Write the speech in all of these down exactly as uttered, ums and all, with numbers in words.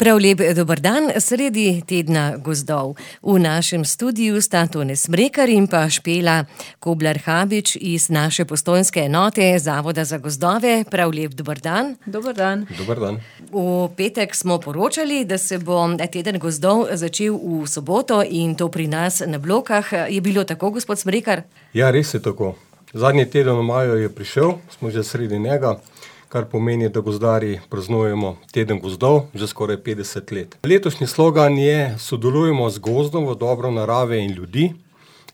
Prav lep dober dan, sredi tedna gozdov. V našem studiu sta Tone Smrekar in pa Špela Koblar-Habič iz naše postojnske enote Zavoda za gozdove. Prav lep dober dan. Dober dan. Dober dan. V petek smo poročali, da se bo teden gozdov začel v soboto in to pri nas na Blokah. Je bilo tako, gospod Smrekar? Ja, res je tako. Zadnji teden v maju je prišel, smo že sredi njega, kar pomeni, da gozdarji praznujemo teden gozdov že skoraj petdeset let. Letošnji slogan je: sodelujemo z gozdom v dobro narave in ljudi.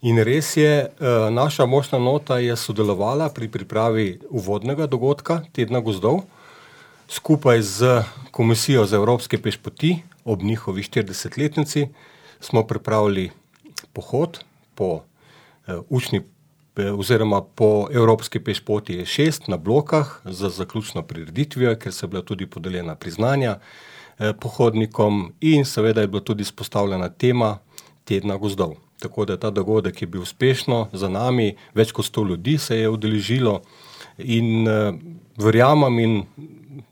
In res je, naša močna nota je sodelovala pri pripravi uvodnega dogodka tedna gozdov. Skupaj z Komisijo za evropske pešpoti ob njihovi štiridesetletnici smo pripravili pohod po učni oziroma po evropski pešpoti je šest na Blokah za zaključno prireditvijo, ker so bila tudi podeljena priznanja eh, pohodnikom in seveda je bila tudi izpostavljena tema tedna gozdov. Tako da ta dogodek je bil uspešno za nami, več kot sto ljudi se je udeležilo in eh, verjamem in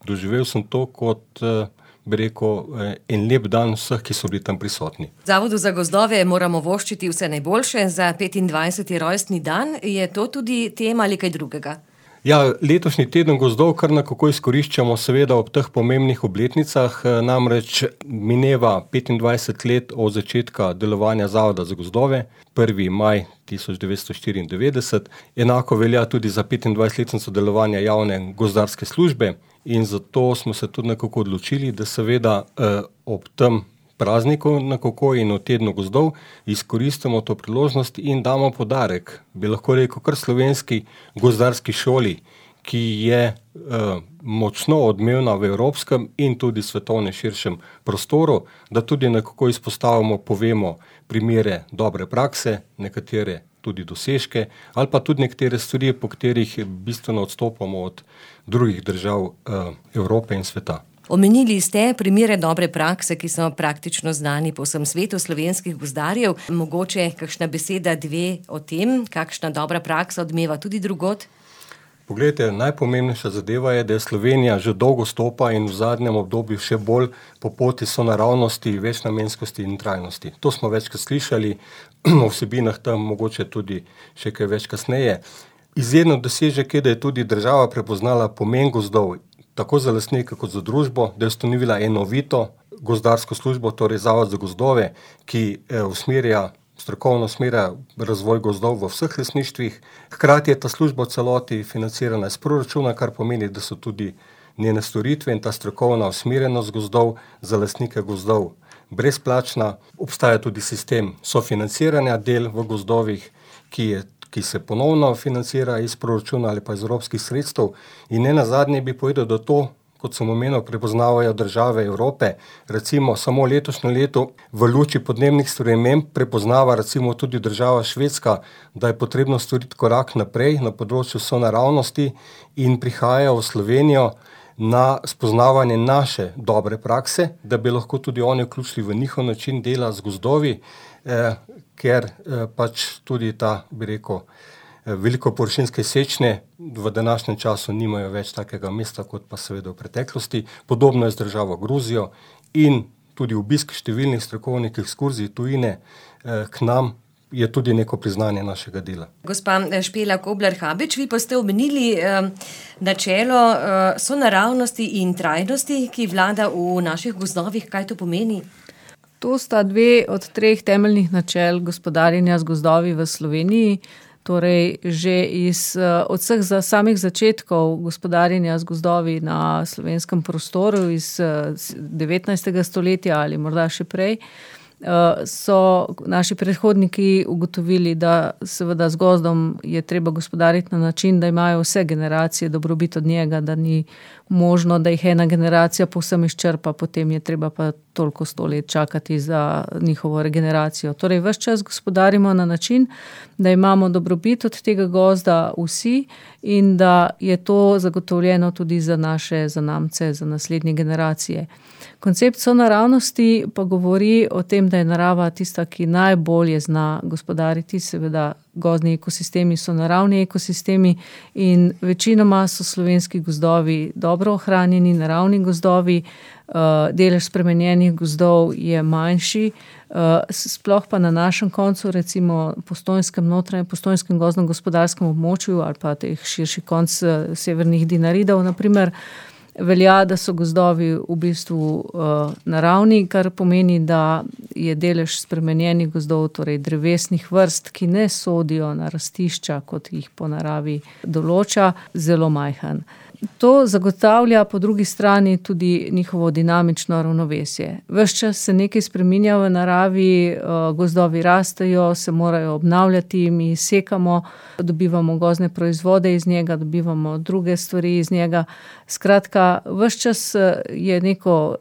doživel sem to kot eh, bi rekel, en lep dan vseh, ki so bili tam prisotni. Zavodu za gozdove moramo voščiti vse najboljše za petindvajseti rojstni dan. Je to tudi tema ali kaj drugega? Ja, letošnji teden gozdov kar nekako izkoriščamo seveda ob teh pomembnih obletnicah, namreč mineva petindvajset let od začetka delovanja Zavoda za gozdove, prvi maj tisoč devetsto štiriindevetdeset. Enako velja tudi za petindvajsetletnico delovanja javne gozdarske službe in zato smo se tudi nekako odločili, da seveda eh, ob tem prazniku nekako in v tednu gozdov izkoristimo to priložnost in damo podarek, bi lahko rekel, kar slovenski gozdarski šoli, ki je eh, močno odmevna v evropskem in tudi svetovnem širšem prostoru, da tudi nekako izpostavimo, povemo primere dobre prakse, nekatere tudi dosežke, ali pa tudi nekatere stvari, po katerih bistveno odstopamo od drugih držav eh, Evrope in sveta. Omenili ste primere dobre prakse, ki so praktično znani po vsem svetu slovenskih gozdarjev. Mogoče kakšna beseda, dve o tem, kakšna dobra praksa odmeva tudi drugod? Poglejte, najpomembnejša zadeva je, da je Slovenija že dolgo stopa in v zadnjem obdobju še bolj po poti sonaravnosti, večnamenskosti in trajnosti. To smo večkrat slišali, o vsebinah tam mogoče tudi še kaj več kasneje. Izjedno dosežek je, da je tudi država prepoznala pomen gozdov, tako za lastnike kot za družbo, da je ustanovila enovito gozdarsko službo, torej Zavod za gozdove, ki usmerja, strokovno usmerja razvoj gozdov v vseh lastništvih. Hkrati je ta služba v celoti financirana iz proračuna, kar pomeni, da so tudi njene storitve in ta strokovna usmerjenost gozdov za lastnike gozdov brezplačna. Obstaja tudi sistem sofinanciranja del v gozdovih, ki je ki se ponovno financira iz proračuna ali pa iz evropskih sredstev. In ne nazadnje bi povedal, da to, kot sem omenil, prepoznavajo države Evrope. Recimo samo letošnje leto v luči podnebnih sprememb prepoznava recimo tudi država Švedska, da je potrebno storiti korak naprej na področju sonaravnosti in prihajajo v Slovenijo na spoznavanje naše dobre prakse, da bi lahko tudi oni vključili v njihov način dela z gozdovi, eh, ker eh, pač tudi ta, bi rekel, eh, veliko površinske sečne v današnjem času nimajo več takega mesta, kot pa seveda v preteklosti. Podobno je z državo Gruzijo in tudi obisk številnih strokovnih ekskurzij tujine eh, k nam je tudi neko priznanje našega dela. Gospa Špela Koblar-Habič, vi pa ste omenili eh, načelo eh, sonaravnosti in trajnosti, ki vlada v naših gozdovih. Kaj to pomeni? To sta dve od treh temeljnih načel gospodarjenja z gozdovi v Sloveniji. Torej, že iz, od vseh za samih začetkov gospodarjenja z gozdovi na slovenskem prostoru iz devetnajstega stoletja ali morda še prej, so naši predhodniki ugotovili, da seveda z gozdom je treba gospodariti na način, da imajo vse generacije dobrobit od njega, da ni možno, da jih ena generacija povsem izčrpa, potem je treba pa toliko sto let čakati za njihovo regeneracijo. Torej, ves čas gospodarimo na način, da imamo dobrobit od tega gozda vsi in da je to zagotovljeno tudi za naše zanamce, za naslednje generacije. Koncept sonaravnosti pa govori o tem, da da je narava tista, ki najbolje zna gospodariti, seveda gozdni ekosistemi so naravni ekosistemi in večinoma so slovenski gozdovi dobro ohranjeni, naravni gozdovi, delež spremenjenih gozdov je manjši, sploh pa na našem koncu, recimo Postojnskem notranjem, Postojnskem gozdno-gospodarskem območju ali pa teh širši konc severnih Dinaridov, naprimer, velja, da so gozdovi v bistvu uh, naravni, kar pomeni, da je delež spremenjenih gozdov, torej drevesnih vrst, ki ne sodijo na rastišča, kot jih po naravi določa, zelo majhen. To zagotavlja po drugi strani tudi njihovo dinamično ravnovesje. Ves čas se nekaj spreminja v naravi, gozdovi rastejo, se morajo obnavljati, mi sekamo, dobivamo gozdne proizvode iz njega, dobivamo druge stvari iz njega. Skratka, ves čas je neko,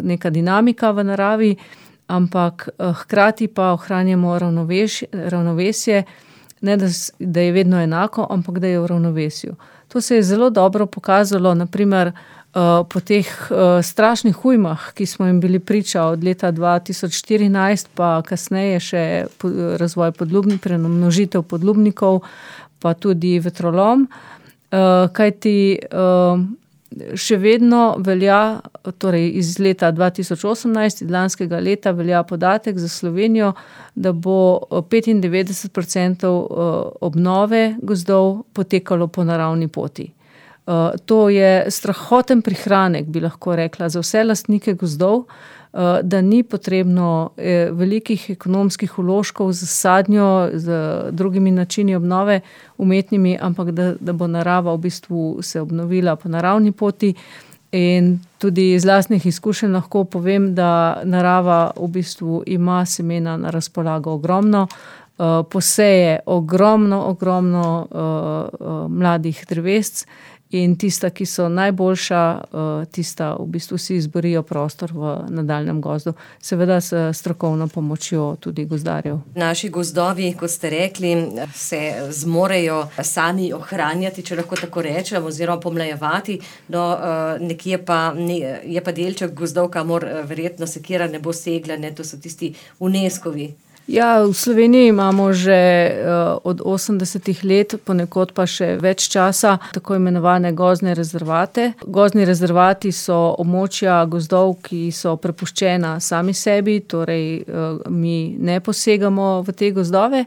neka dinamika v naravi, ampak hkrati pa ohranjamo ravnovesje, ne da, da je vedno enako, ampak da je v ravnovesju. To se je zelo dobro pokazalo, naprimer, po teh strašnih ujmah, ki smo jim bili priča od leta dva tisoč štirinajst, pa kasneje še razvoj podlubnikov, premnožitev podlubnikov, pa tudi vetrolom, kajti še vedno velja, torej iz leta dva tisoč osemnajst, iz lanskega leta velja podatek za Slovenijo, da bo petindevetdeset procentov obnove gozdov potekalo po naravni poti. To je strahoten prihranek, bi lahko rekla, za vse lastnike gozdov, da ni potrebno velikih ekonomskih vložkov z sadnjo, z drugimi načini obnove umetnimi, ampak da, da bo narava v bistvu se obnovila po naravni poti. In tudi iz lastnih izkušenj lahko povem, da narava v bistvu ima semena na razpolago ogromno, poseje ogromno, ogromno mladih drevesc, in tista, ki so najboljša, tista v bistvu si izborijo prostor v nadaljnjem gozdu, seveda s strokovno pomočjo tudi gozdarjev. Naši gozdovi, kot ste rekli, se zmorejo sami ohranjati, če lahko tako rečem, oziroma pomlajevati, no nekje pa je pa delček gozdov, kamor verjetno sekira ne bo segla, ne, to so tisti UNESCO-vi. Ja, v Sloveniji imamo že uh, od osemdesetih let, ponekod pa še več časa, tako imenovane gozdne rezervate. Gozdni rezervati so območja gozdov, ki so prepuščena sami sebi, torej uh, mi ne posegamo v te gozdove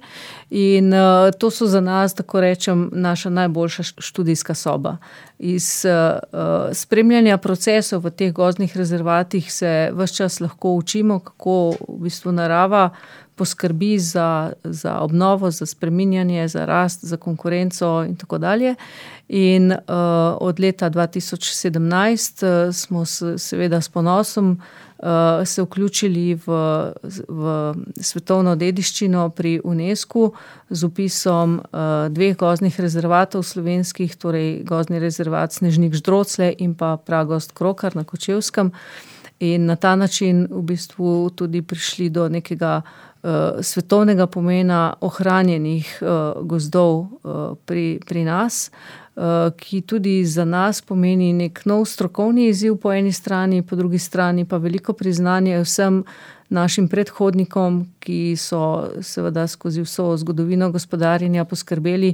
in uh, to so za nas, tako rečem, naša najboljša študijska soba. Iz uh, spremljanja procesov v teh gozdnih rezervatih se ves čas lahko učimo, kako v bistvu narava poskrbi za, za obnovo, za spreminjanje, za rast, za konkurenco in tako dalje. In uh, od leta dva tisoč sedemnajst uh, smo se, seveda s ponosom uh, se vključili v, v svetovno dediščino pri UNESCO z vpisom uh, dveh gozdnih rezervatov slovenskih, torej gozdni rezervat Snežnik Ždrocle in pa Pragozd Krokar na Kočevskem. In na ta način v bistvu tudi prišli do nekega uh, svetovnega pomena ohranjenih uh, gozdov uh, pri, pri nas, uh, ki tudi za nas pomeni nek nov strokovni izziv po eni strani, po drugi strani pa veliko priznanje vsem našim predhodnikom, ki so seveda skozi vso zgodovino gospodarjenja poskrbeli,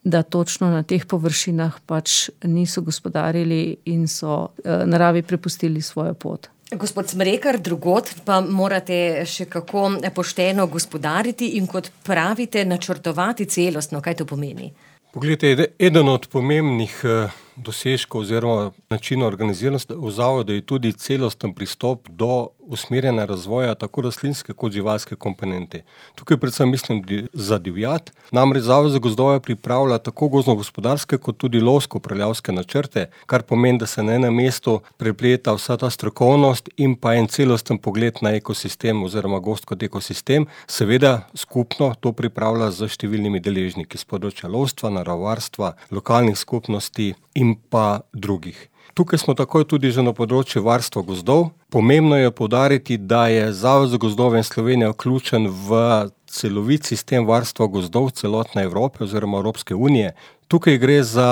da točno na teh površinah pač niso gospodarili in so uh, naravi prepustili svojo pot. Gospod Smrekar, drugod pa morate še kako pošteno gospodariti in, kot pravite, načrtovati celostno. Kaj to pomeni? Poglejte, eden od pomembnih dosežkov oziroma načinov organiziranosti v zavodu je tudi celosten pristop do usmerjanja razvoja tako rastlinske kot živalske komponente. Tukaj predvsem mislim za divjad. Namreč Zavod za gozdove pripravlja tako gozdno-gospodarske kot tudi lovsko-upravljavske načrte, kar pomeni, da se na enem mestu prepleta vsa ta strokovnost in pa en celosten pogled na ekosistem oziroma gozd kot ekosistem. Seveda skupno to pripravlja z številnimi deležniki s področja lovstva, naravovarstva, lokalnih skupnosti in pa drugih. Tukaj smo takoj tudi že na področju varstva gozdov. Pomembno je poudariti, da je Zavod za gozdove in Slovenija vključen v celovit sistem varstva gozdov celotne Evrope oziroma Evropske unije. Tukaj gre za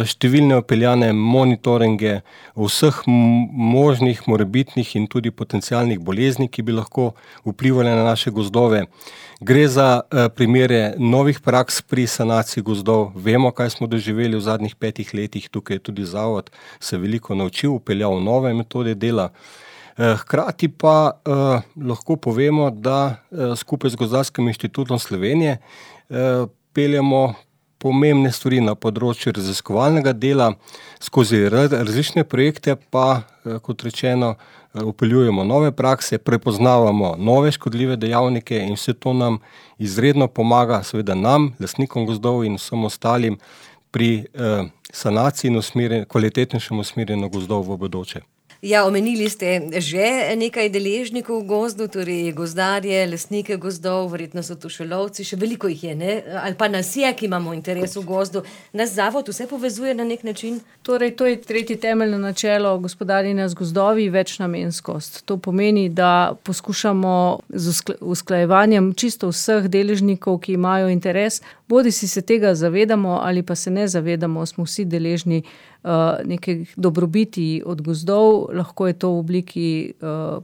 številne vpeljane monitoringe vseh možnih, morebitnih in tudi potencialnih bolezni, ki bi lahko vplivali na naše gozdove. Gre za primere novih praks pri sanaciji gozdov. Vemo, kaj smo doživeli v zadnjih petih letih. Tukaj je tudi zavod se veliko naučil, vpeljal nove metode dela. Hkrati pa eh, lahko povemo, da eh, skupaj z Gozdarskim inštitutom Slovenije eh, peljemo pomembne stvari na področju raziskovalnega dela, skozi različne projekte pa, eh, kot rečeno, vpeljujemo nove prakse, prepoznavamo nove škodljive dejavnike in vse to nam izredno pomaga, seveda nam, lastnikom gozdov in vsem ostalim, pri eh, sanaciji in usmerjen, kvalitetnejšem usmerjenju gozdov v bodoče. Ja, omenili ste že nekaj deležnikov v gozdu, torej gozdarje, lastnike gozdov, verjetno so tu še lovci, še veliko jih je, ne? Ali pa nas je, ki imamo interes v gozdu. Nas zavod vse povezuje na nek način? Torej, to je tretje temeljno načelo gospodarjenja z gozdovi, večnamenskost. To pomeni, da poskušamo z usklajevanjem čisto vseh deležnikov, ki imajo interes, bodi si se tega zavedamo ali pa se ne zavedamo, smo vsi deležni uh, nekih dobrobiti od gozdov, lahko je to v obliki uh,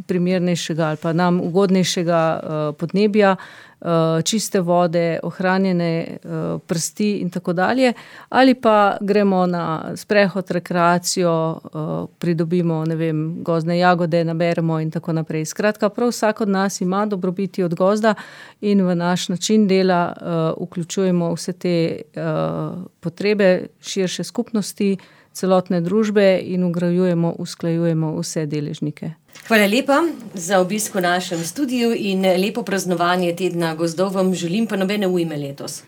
primernejšega ali pa nam ugodnejšega uh, podnebja, uh, čiste vode, ohranjene uh, prsti in tako dalje, ali pa gremo na sprehod, rekreacijo, uh, pridobimo, ne vem, gozdne jagode, naberemo in tako naprej. Skratka, prav vsak od nas ima dobrobiti od gozda in v naš način dela uh, vključujemo vse te uh, potrebe širše skupnosti, celotne družbe in vgrajujemo, usklajujemo vse deležnike. Hvala lepa za obisk v našem studiu in lepo praznovanje tedna gozdov vam želim, pa nobene ujme letos.